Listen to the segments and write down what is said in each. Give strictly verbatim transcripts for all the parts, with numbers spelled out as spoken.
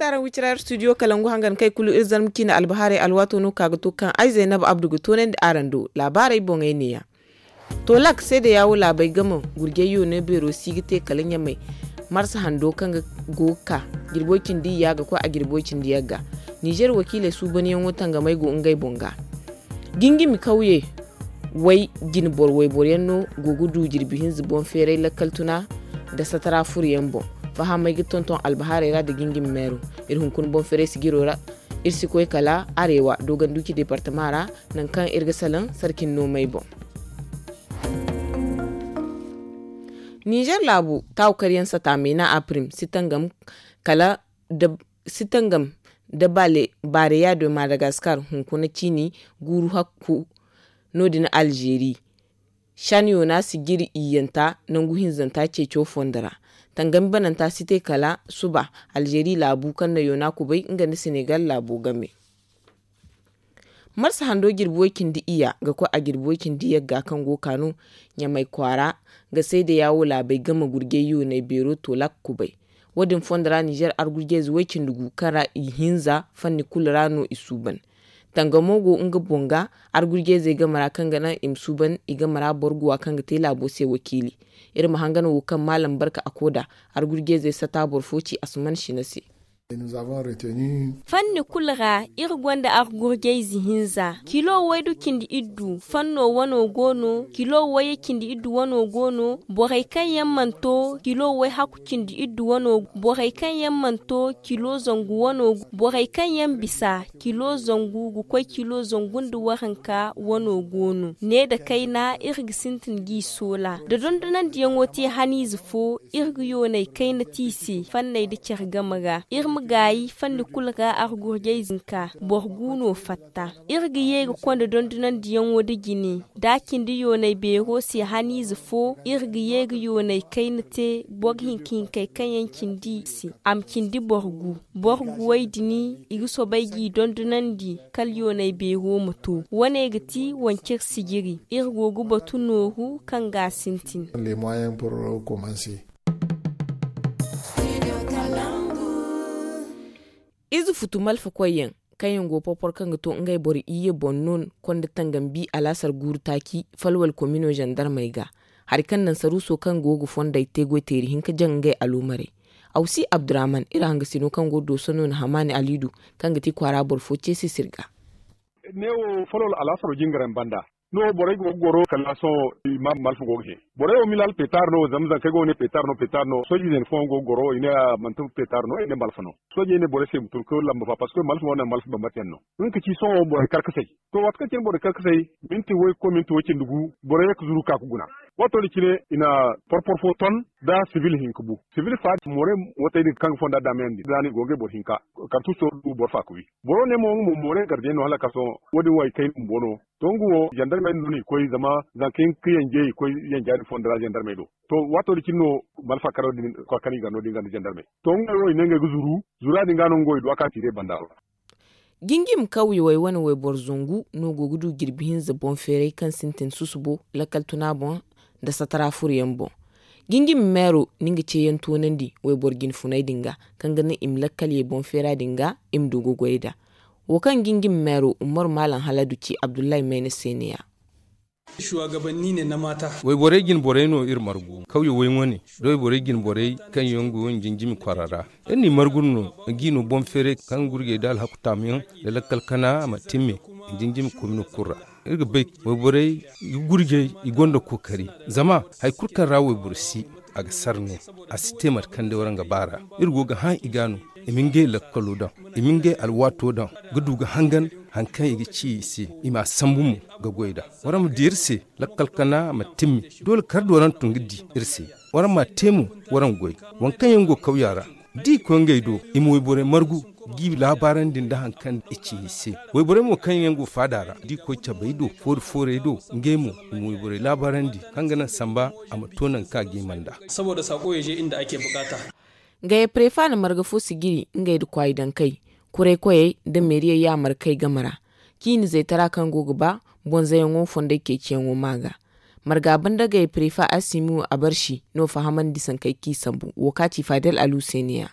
Araŋ wicira iri studio kalangu hangan kay kulu iri zarma ciine albahaarey alwaato no ka ga to kaŋ ay zaynab abdu ga toonandi araŋ do laabaarey boŋey neeya. To lak seedayaawo laabey game gurjay yoonay beero si ga te kala ɲamay marsa hando kaŋ ga go ga ka jirbi way cindi iyya ga koy a jirbi way cindi yagga. Nizer wakiiley suubanyaŋo tangamey go ngey boŋ ga. Jingimi kawye way jine boro wayboryaŋ no go ga du jirbi hinza boŋ feeray lakkal tuna nda satara furuyaŋ boŋ. Fahamey ga tonton albahaarey ra nda jingimi meero. Iri hunkuna boŋ feeray sijiro ra iri si koy kala areewa dooganduci deepartama ra, nangu kaŋ iri ga salaŋ sarkin noomey boŋ. Nizer laabu taawu karyaŋ sata meena apirim si tangam kala da si tangam da baareya do madagaskar hunkuna ciini guuru hakku. No- din alzeeri shan yoona sijiri iyyanta nangu hinzanta ceeco fondo ra. Tangami bananta si te kala suba alzeeri laabu kaŋ na yoona kubay nga nda senegal laabo game. Marsa hando jirbi way cindi iyya ga koy a jirbi way cindi yagga kaŋ go ga ka no ɲamay kwaara ga seedayaawo laabey game gurjay yoonay beero toolak kubay. Wo- din fondo ra nizer argurjayze way cindi gu kaŋ ra i hinza fanni kulu ra no i suuban. Tangamo go nga boŋ ga argurjayzey game ra kaŋ ga naŋ i ma suuban i game ra boro guwa kaŋ ga te laabo se wakiili. Iri ma hangan wo kaŋ maalam barka a koda argurjayzey sata boro fo ci asuman sina se. Fanni kulu ra iri gonda argurjayze hinza kilo waydu cindi iddu fanno wano go no kilo wayye cindi iddu wano go no. Borey kaŋ yaŋ mana to kilo wayhakku cindi iddu wano borey kaŋ yaŋ mana to kilo zangu wano borey kaŋ yaŋ bisa kilo zangu ga koy kilo zangu nda waranka wano go no ne nda kayna iri ga sintin g'i soola da dondonandiyaŋo te haniize fo. Iri ga yoonay kayna te i se fanney nda care game ra iri ma gaayi fanni kulu ra argurjayze hinka boro gu no fatta. Iri ga ye ga konda dondonandiyaŋo nda jine da a cindi yoonay beero se haniize fo iri ga ye ga yoonay kayna te boro hinka hinkey kaŋ yaŋ cindi i se a ma cindi boro gu. Boro guwey din i ga soobay g'i dondonandi kala yoonay beero ma to wane ga ti wancir sijiri iri go ga batu nooru kaŋ ga a sintin. Ize futu malfa koyyaŋ kaŋ yaŋ go porpor kaŋ ga to ngey boro iyye boŋ no konda tangambi alaasar guuru taaci falwal komino zandarmey ga. Hari kaŋ naŋ saruuso kaŋ go ga fondey te goy teeri hinka jaŋ ngey aloomarey. Awsi abdurahman iri hangasino kaŋ go dooso no na hamaani aliidu kaŋ ga ti kwaara boro fo ceese sirga. Ne wo folol alaasaro jingaraŋ banda no borey go ga goro kala sohõ i ma malfa go ga he. Borey wo milal petar no zama zankey go ga ne petar no petar no sooji zene fooyaŋ go ga goro i ne a manti petar no i ne malfa no. Soojey ne borey se i ma tun ka lamba fa parceque malfa wane malfa bambata yaŋ no. Nga ka ci sohõ borey karkasey. To waati kaŋ cine borey karkasey minti way ga koy minti way cindi gu borey ye ga zuru ka ga guna. Waato din cine i na porpor fo ton da sibil hinka bu sibil fa moorey watey din kaŋ ga fonda damayandi da no i go ga boro hinka. Kartuso du boro fa ga wi boro ne mo nga mo moorey gardiyaŋ no hala ka sohõ wo- din wo ay kayna bumbo no. To nga wo zandarmey no no i koy zama zanka hin ga yanje i koy yanja din fondo ra zandarmey do. To waato din cine no malfa karo din koy kani ga no din ga nda zandarmey. To nga wo i ne ngey ga zuru zura din ga no nga wo i du a ka tiire banda ra. Jingim kawyawey wane wayboro zangu no go ga du jirbi hinza boŋ feeray kaŋ sintin susubo lakkal tuna boŋ nda satara furuyaŋ boŋ. Jingim meero ni nga ceeyaŋ toonandi wayboro jinfuney din ga kaŋ ga naŋ i ma lakkalyey boŋ feera din ga i ma du ga goy nd'a. Wo kaŋ jingim meero umaru maalam haladu ci abdullahi mayna se ne-ya. Wayborey jinborey no iri margu kawyawey wane da wayborey jinborey kaŋ yaŋ go nda jinjimi kwara ra. Iri n'i margu no ngi no boŋ feeray kaŋ gurjey da alhaku taamuyaŋ da lakkal kana a ma timme nda jinjimi komino kulu ra. Iri ga bay wayborey ga gurjey i gonda kookari zama hari kulu kaŋ ra wayboro si a ga sara no. A si te mate kaŋ day waraŋ ga ba ra iri go ga hã i ga no i ma ngey lakkalo daŋ i ma ngey alwaato daŋ ga du ga hangan hari kaŋ i ga ci i se i m'a sambu mo ga goy nd'a. Waraŋ ma di iri se lakkal kana ma timmi doole kar da waraŋ tun ga di iri se. Waraŋ m'a te mo waraŋ goy waŋ kaŋ yaŋ go kawya ra da i koy ngey do i ma wayborey margu g'i laabaarandi nda hari kaŋ i ci i se. Wayborey mo kaŋ yaŋ go faada ra da i koy cabey do foori foorey do ngey mo i ma wayborey laabaarandi kaŋ ga naŋ samba a ma to nangu kaŋ a ga hima nd'a. Saboda saako ya je inda ake bukata. Gaya prefa na marga fo sijiri ngey nda kwaayi dankey kuraykoyey nda meeriyey yaamarkey game ra. Ciini zaytara kaŋ go ga ba bonzayaŋo fondey ceeciyaŋo ma ga. Marga banda gaya prefa asimiwo abarsi no fahamandi sankey kaŋ i sambu wo kaŋ a ci fadel alu se ne-ya.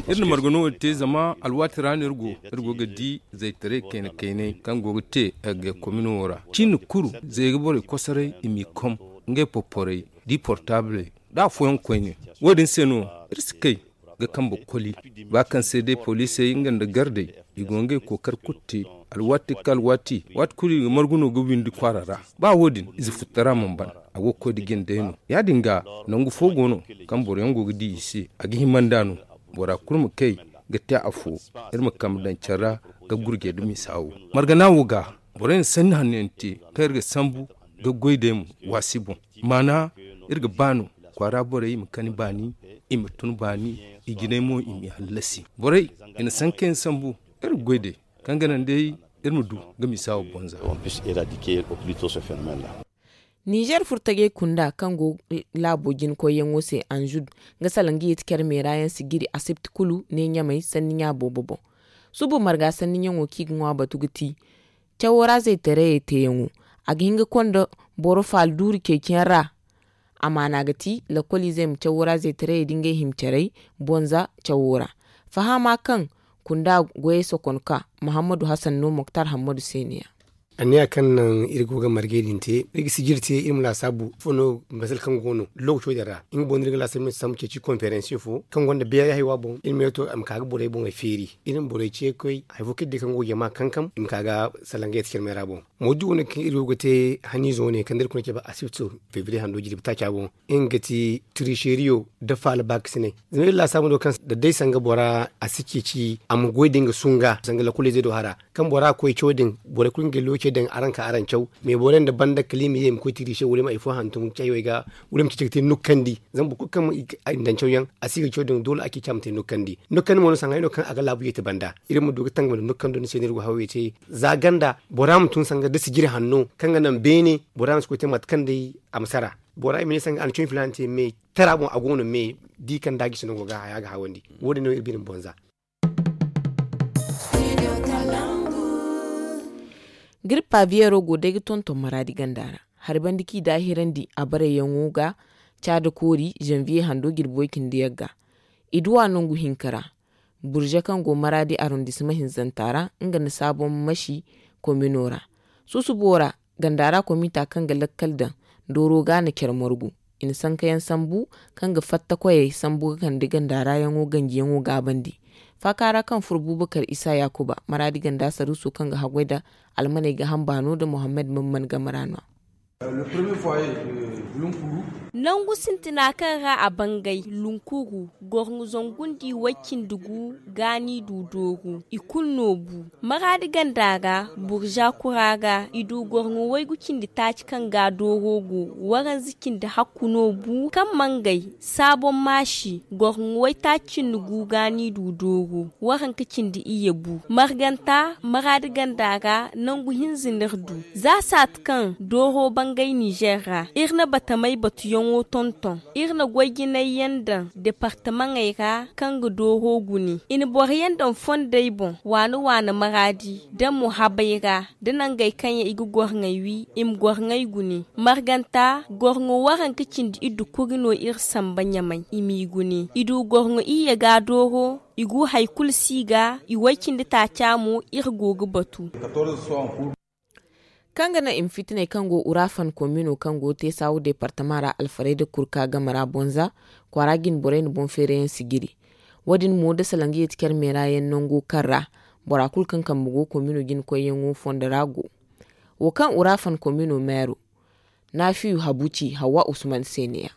Iri na margano wo te zama alwaati ra no iri go iri go ga di zaytaray kayna kaynay kaŋ go ga te ga komino wo ra. Ciini kulu zay ga borey kosoray i m'i kom ngey porporey, di portaabley, da afooyaŋ koyne. Wo- din se no iri si kay ga kambe koli ba kaŋ se day poliisey nga nda gardey i go ngey kookari kulu te. Alwaati ga ka alwaati waati kulu i ga margu no ga windi kwaara ra. Ba wo- din ize futtara mana ban. A go ga koy da jindey no. Ya- din ga nangu fo go no kaŋ boro yaŋ go ga di i se a ga hima nd'a no. Bora kulu ma kay ga te afo. Iri ma kambe daŋ care ra ga gurjey da misa wo margana wo ga borey na sanni hanno yaŋ te kaŋ iri ga sambu ga goy day mo waasi boŋ. Maana iri ga ba no kwaara borey i ma kani baani, i ma tun baani, i jinay mo i m'i hallasi. Borey i na sanka yaŋ sambu iri ga goy day kaŋ ga naŋ day iri ma du ga misa wo bonza. Ninzeer furtajey kunda kaŋ go laabo jinkoyyaŋo se anzud nga salaŋ ga yeeti care meera yaŋ si giri asibti kulu ne ɲamay sanni ɲa boobo boŋ. Subu marga sanni ɲaŋo kaŋ i ga ŋwa batu ga ti cawo ra zaytarayey teeyaŋo. A ga hin ga konda boro faala duuri ceeciyaŋ ra. Amaana ga ti lakkoliizey ma cawo ra zaytarayey da ngey hima caray bonza cawo ra. Fahama kaŋ kunda goyey sokon ka muhammadu hasan no moktar hammadu se ne ya. Anniya kaŋ naŋ iri go ga margey din te iri ga sijiri te iri ma laasaabu fo no masal kaŋ go no lookaco din ra nga boŋ no iri ga laasaabu iri ma sambu ceeci konferensiyo fo kaŋ gonda beeray haywa boŋ iri ma yeeto a ma ka ga borey boŋey feeri. Iri ma borey ce ga koy hari fo kaŋ iri di kaŋ go ga jama kankam i ma ka ga salaŋ ga yeeti care meera boŋ. Mawdu wane kaŋ iri go ga te haniizo wane kaŋ da iri kuna cabe asibto febriye hando jirbi taaca boŋ. Nga ga ti tiriseriyo nda faala baakasinay. Zama iri laasaabu no kaŋ da day sanga bora a si ceeci a ma goy da nga sunga sanga lakkoliizey do hara kaŋ bora koy caw din borey kulu ngey loocey daŋ araŋ ka araŋ caw. Mais borey nda banda kala i ma ye i ma koy tirise wala i ma hari fo hantum cawey ga wala i ma ceeci ga te nukkandi zama boro kulu kaŋ i daŋ cawyaŋ a si ga caw din doole a ceeci a ma te nukkandi. Nukkandi mo no sanga ay no kaŋ a ga laabu yeeti banda iri ma du ga tangam nda nukkando ni se no iri go hawey te. Za ganda bora ma tun sanga da sijiri hanno kaŋ ga naŋ beene bora ma si koy te mate kaŋ day a ma sara. Bora i ma ne sanga a na cawyaŋ filaana te mais tara boŋ a go no mais di kaŋ da a gisi no go ga haya ga hawandi. Wo- din no iri bine ma bonza. Giri paviyeero go day ga tonton maraadi ganda ra hari banda kaŋ i daahirandi a barayyaŋo ga caada koori zanviye hando jirbi way- cindi yagga. I duw'a nangu hinka ra burze kaŋ go maraadi arondisima hinzanta ra nga nda saabon masi komino ra. Susubo ra ganda ra komita kaŋ ga lakkal daŋ dooro ga na care margu i na sankayaŋ sambu kaŋ ga fatta koyey sambu ga kande ganda ra yaŋo ganjiyaŋo gaabandi. Faaka ra kaŋ furo bubakar isa yaakuba maraadi ganda saruuso kaŋ ga haggoy nda almaney ga hamba no nda muhammad mamman game ra no. Nangu sintina kaŋ ra a bangay lunkuru gorŋo zangu nda i way cindi gu gaani du dooru i kulu no bu. Maraadi ganda ra burza kura ra i du gorŋo waygu cindi taaci kaŋ ga dooro go waranza cindi hakku no bu kaŋ mangay saabon maasi gorŋo waytaaci cindi gu gaani du dooru waranka cindi iyye bu marganta maraadi ganda ra nangu hinza no iri du. Za saati kaŋ dooro bangay nizer ra iri na batamey batuyaŋo tonton iri na goy jinayyaŋ daŋ departamaŋey ra kaŋ ga dooro gune i na boroyaŋ daŋ fondey boŋ waana waana maraadi da muhabay ra da nangey kaŋ yaŋ i ga gorŋey wi i ma gorŋey gune. Marganta gorŋo waranka cindi iddu kuri no iri samba ɲamay i m'i gune i du gorŋo iyye ga dooro i gu hari kulu si ga i way cindi taaca mo iri go ga batu. Kaŋ ga naŋ i ma fitiney kaŋ go urafan komino kaŋ go teesawu departama ra alfarayda kurka game ra bonza kwaara jine borey na boŋ feerayaŋ sijiri. Wo- din mo da salaŋ ga yeeti care meera yaŋ nango kaŋ ra bora kulu kaŋ kambe go komino jine koyyaŋo fondo ra go. Wo kaŋ urafan komino meero naafiyu habuci hawwa usman se ne ya.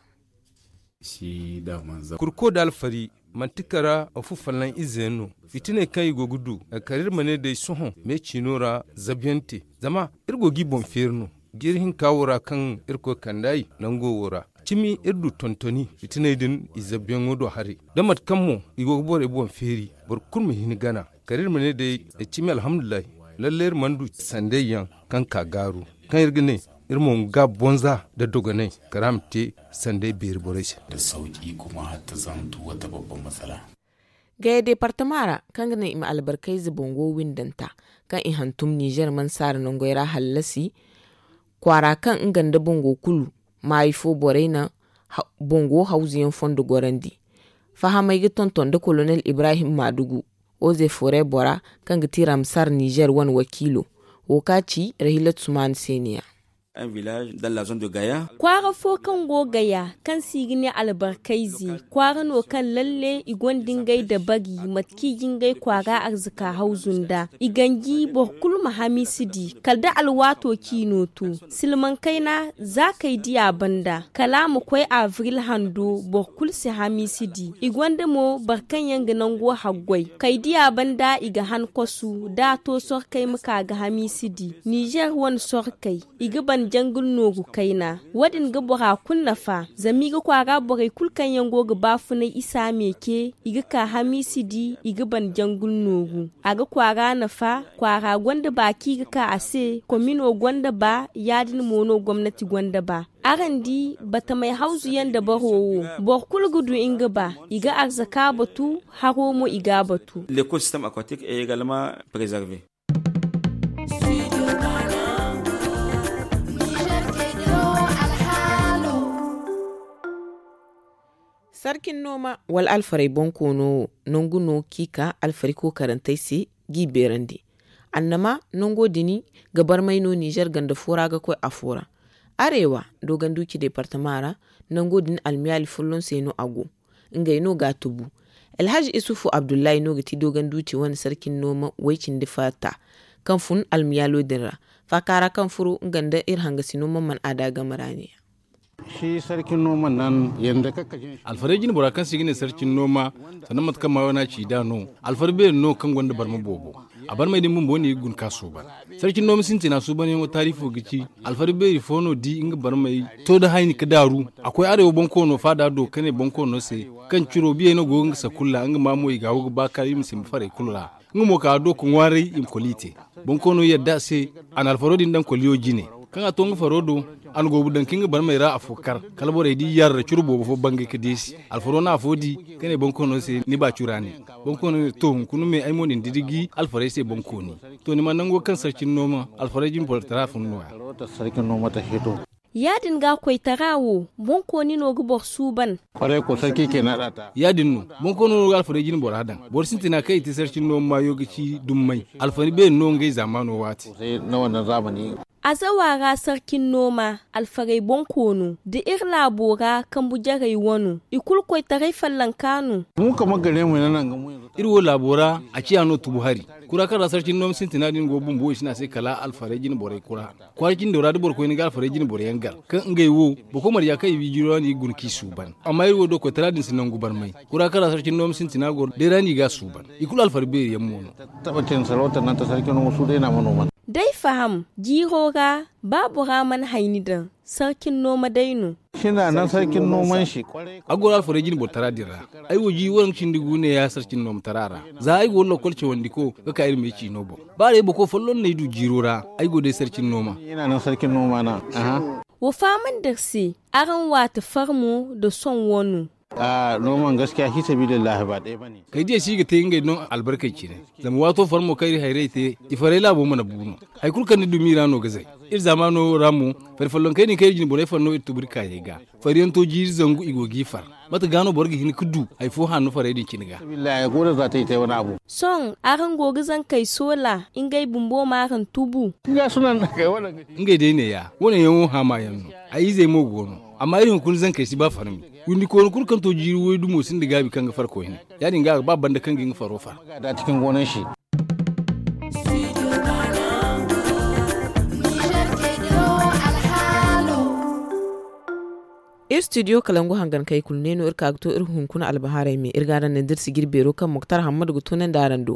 Kurko nda alfari manti kara afu fallan ize yaŋ no. Fitiney kaŋ i go ga du kala iri ma ne day sohõ me ciino ra zabuyaŋ te zama iri go ga i boŋ feeri no. Jiiri hinka wo ra kaŋ irkoy kand'a i nango wo ra cimi iri du tontoni fitiney din i zabuyaŋo do haray da mate kaŋ mo i go ga borey boŋ feeri boro kulu ma hin gana. Kala iri ma ne day cimi alhamdulillahi. Lallay iri mana du sanday yaŋ kaŋ ka gaaru kaŋ iri ga ne iri mo ga bonza nda dogonay kala a ma te sanday beeri borey se. Gaya departama ra kaŋ ga naŋ i ma albarkayze bango windanta kaŋ i hantum nizer mansaara nangey ra hallasi kwaara kaŋ nga nda bango kulu maayi fo borey na bango hawzuyaŋ fondo gorandi. Fahamey ga tonton nda kolonel ibrahim maadugu, oze fore bora, kaŋ ga ti ramsar nizer wane wakiilo. Wo ka ci rahilatu sumaani se niya. Kwaara fo kaŋ go gaya, kaŋ se i ga ne albarkayze, kwaara no kaŋ lalle i gonda ngey dabari, mate kaŋ i ga ngey kwaara arzaka hawzu nd'a. I ganji boro kulu ma hamiisi di, kala da alwaato kaŋ i no to. Silmaŋ kayna, za kay diya banda kala a ma koy abril hando, boro kulu si hamiisi di. I gonda mo boro kaŋ yaŋ ga nango haggoy, kay diya banda i ga han kosu da a to sorkey ma ka ga hamiisi di. Nizer wane sorkey, i ga ban jangul nooru kayna. Wo- din ga bora kulu nafa, zama i ga kwaara borey kulu kaŋ yaŋ go ga baafunay isa meeke, i ga ka hamiisi di, i ga ban jangul nooru. A ga kwaara nafa, kwaara gonda ba kaŋ i ga ka a se, komino gonda ba, ya- din mo no gomnati gonda ba. Araŋ di, batamey hawzu yaŋ dabaro wo, boro kulu ga du nga ba. I ga arzaka batu, haro mo i ga a batu. Sarkin nooma wala alfarey bonkoono wo, nangu no kaŋ i ka alfarey kookarantey se, g'i beerandi. Annama nango din ga barmay no nizer ganda fo ra ga koy afo ra. Arewa, dooganduuci deepartama ra, nango din almiyaali folloŋ se no a go. Ngey no g'a tubu. Alhaji isufu abdullahi no ga ti dooganduuci wane sarkin nooma way cindi fatta, kaŋ fun almiyaalo din ra. Faaka ra kaŋ furo nga nda iri hangasino mamman aada game ra ne ya. Alfarey jine bora kaŋ se i ga ne sarcin nooma, sanda mate kaŋ maayo no a ci nd'a no. Alfari beeri no kaŋ gonda barma boobo. A barmey din bumbo no i ga guna ka suuban. Sarcin nooma sintina suubanyaŋo taarifo ga ci, alfari beeri fo no di nga barmey to da hayni ka daaru. A koy arewa bonkoono faada do ka ne bonkoono se, kaŋ ciro biyey no go ga nga sakulla, nga ma mo i ga wo ga ba ka i ma simba farey kulu ra. Nga mo ka a do ka ŋwaaray i ma koli te. Bonkoono yadda a se, a na alfaro din daŋ koliyo jine. Kaŋ a to nga faro do, a na goobu daŋ ka nga barmey ra afo kar. Kala borey di yarra curo boobo fo bangay ka deesi. Alfaro na afo di, ka ne bonkoono se, ni ba cura ne. Bonkoono ne, to hunkuna me ay mo na ni didigi alfarey se bonkooni. To ni ma nango kaŋ sarcin nooma alfarey jin borotara fun nooya. Ya- din ga koytara wo, boŋ kooni no ga boro suuban. Ya- din no, boŋ kooni no ga alfarey jine bora daŋ. Boro sintina kaŋ i te sarcin nooma maayo ga ci dummay. Alfari beeri no ngey zaamaano waati. Azawa ra sarcin nooma, alfarey boŋ koono da iri laabo ra kambu jarey wano, i kulu koytaray fallanka no. Iri wo laabo ra, a ciya no tubu hari. Kura kaŋ ra sarcin nooma sintina din go bumbo i si ne a se kala alfarey jine borey kura. Kwaara cindo ra da boro koyne ga alfarey jine boro yaŋ gar, kaŋ ngey wo, boro koy marja kaŋ i wi jiro ra no i ga guna k'i suuban. Amma iri wo do koytara din si nangu barmay. Kura kaŋ ra sarcin nooma sintina goro day ra no i g'a suuban. I kulu alfari beeri yaŋ mo no. Day faham, jiiro ra, ba bora mana hayni daŋ, sarcin nooma day no. A goro alfarey jine borotara din ra. Ay wo ji waranka cindi gu ne ya sarcin noomatara ra. Za ay go lokol cawandiko ga ka iri me ciino boŋ. Ba day boko folloŋ no ay du jiiro ra, ay go day sarcin nooma. Wa fahamandi iri se, araŋ waati farmo nda soŋ wano. Kay diya si ga te ngey no albarkey cine. Zama waato farmo kaŋ iri hayrey te, i farey laabo mana bu no. Hari kulu kaŋ ni dumi ra no ga zay. Iri zaamaano ra mo, fari follonkey din kaŋ iri jine borey far no iri tuburi kaayey ga. Fariyaŋ to jiiri zangu i go g'i far. Mate ga no boro ga hin ga du hari fo hanno farey din cine ga? Sohõ araŋ go ga zankey soola, ngey bumbo ma araŋ tubu. Ngey day neeya, wane yaŋo haama yaŋ no. Ay izey mo go no. Amma iri hunkuna zankey si ba farmi. Windi kooni kulu kaŋ to jiiri waydumo sinda gaabi kaŋ ga far koyne. Ya- din ga a ga ba banda kaŋ ga nga faro far. Iri studio kalangu hangan kay kulu ne no iri ka ga to iri hunkuna albahaarey me iri ga araŋ ne da iri si jiri beero kaŋ moktar hammadu ga tunandi araŋ do.